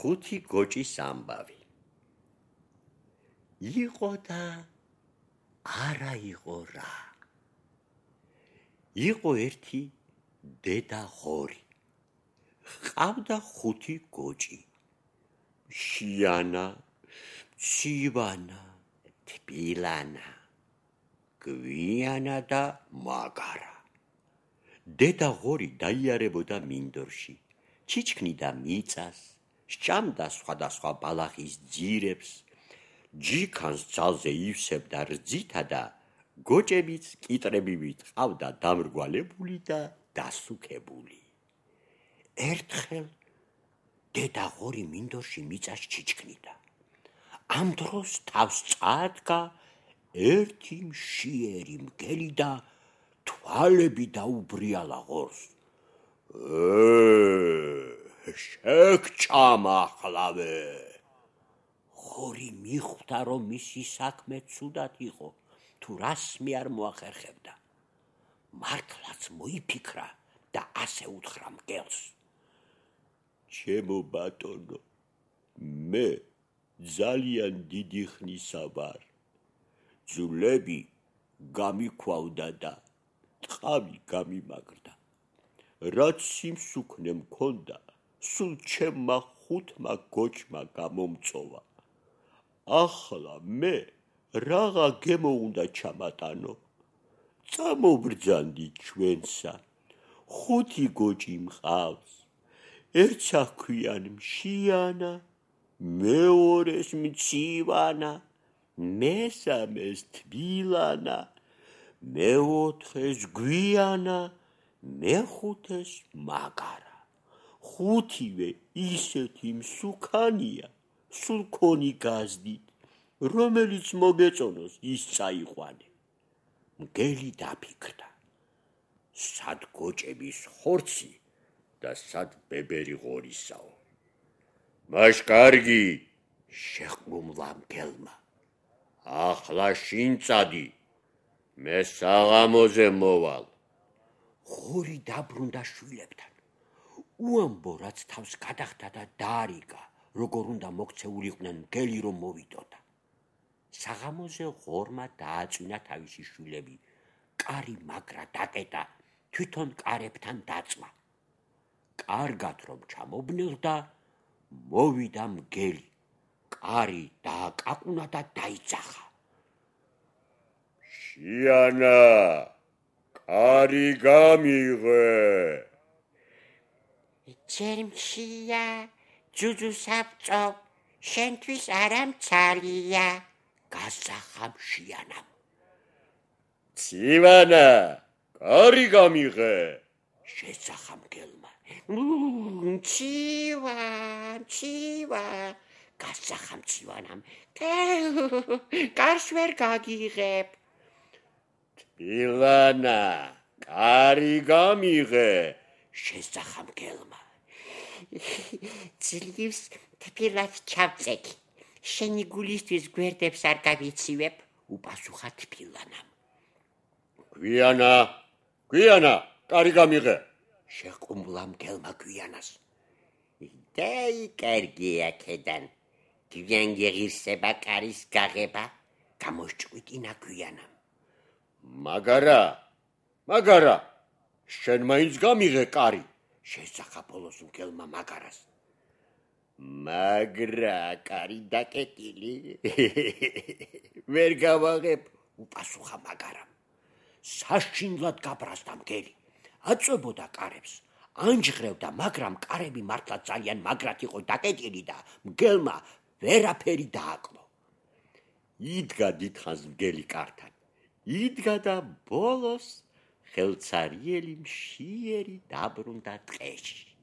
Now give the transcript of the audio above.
ხუთი გოჭის ამბავი. იყო და არა იყო რა. იყო ერთი დედა ღორი. ყავდა ხუთი გოჭი. შიანა, მცივანა, თბილანა, გვიანა და მაგარა. დედა ღორი დაიარებოდა მინდორში, ჩიჩქნიდა მიწას, სჭამდა სხვადასხვა ბალახის ძირებს, ჯიქანს ძალზე ივსებდა რძითა და გოჭებიც კიტრებივით ყავდა დამრგვალებული და დასუქებული. ერთხელ დედა ღორი მინდორში მიწას ჩიჩქნიდა. ამ დროს თავს წაადგა ერთი მშიერი მგელი და თვალები დაუბრიალა ღორს. შეგჭამა ახლავე. ღორი მიხვდა, რომ მისი საქმე ცუდად იყო, თუ რასმე არ მოახერხებდა. მართლაც მოიფიქრა და ასე უთხრა მგელს. ჩემო ბატონო, მე ძალიან დიდი ხნისა ვარ. ძვლები გამიქვავდა და ტყავი გამიმაგრდა. რაც სიმსუქნე მქონდა, სულ ჩემმა ხუთმა გოჭმა გამომწოვა. ახლა მე რაღა გემო უნდა ჩამატანო. წამობრძანდი ჩვენსა. ხუთი გოჭი მყავს. ერთს აქვიან მშიანა, მეორეს მცივანა, მესამეს თბილანა, მეოთხეს გვიანა, მეხუთეს მაგარა. ხუთივე ისეთი მსუქანია, სულ ქონი გაზდით, რომელიც მოგეწონოს ის წაიყვანე. მგელი დაფიქრდა. სად გოჭების ხორცი და სად ბებერი ღორისაო. მას კარგი, შეყმუმლა მგელმა. ახლა შინ წადი, მე საღამოზე მოვალ. ღორი დაბრუნდა შვილებთან. უამბო რაც თავს გადახდა და დაარიგა, როგორ უნდა მოქცეულიყვნენ მგელი რომ მოვიდოდა. საღამოზე ღორმა დააწვინა თავისი შვილები, კარი მაგრა დაკეტა, თვითონ კარებთან დაწვა. კარგად რომ ჩამობნელდა, მოვიდა მგელი, კარი დააკაკუნა და დაიძახა. შიანა, კარი გამიღე. ჯერმშია, ჯუჯუსაბჭო, შენთვის არა მცალია, გასახა მშიანამ. მცივანა, კარი გამიღე. შეძახა მგელმა. მცივა, გასახა მცივანამ. კარს ვერ გაგიღებ. თბილანა, კარი გამიღე. შეძახა მგელმა. ძლივს თბილად ჩავწექი. შენი გულისთვის გვერდებს არ გავიცივებ, უპასუხა თბილანამ. გვიანა, კარი გამიღე. შეყუმლა მგელმა გვიანას. დაი კარგია ქედან. გვიან გეღირსება კარის გაღება, გამოსჭყვიტინა გვიანამ. მაგარა, შენ მაინც გამიღე კარი. შეძახა ბოლოს მგელმა მაგარას. მაგრა კარი დაკეტილი. ვერ გავაღებ, უპასუხა მაგარამ. საშინლად გაბრაზდა მგელი. აწვებოდა კარებს, ანჯღრევდა, მაგრამ კარები მართლა ძალიან მაგრად იყო დაკეტილი და მგელმა ვერაფერი დააკლო. იდგა დიდხანს მგელი კართან. იდგა და ბოლოს ხელცარიელი მშიერი დაბრუნდა ტყეში.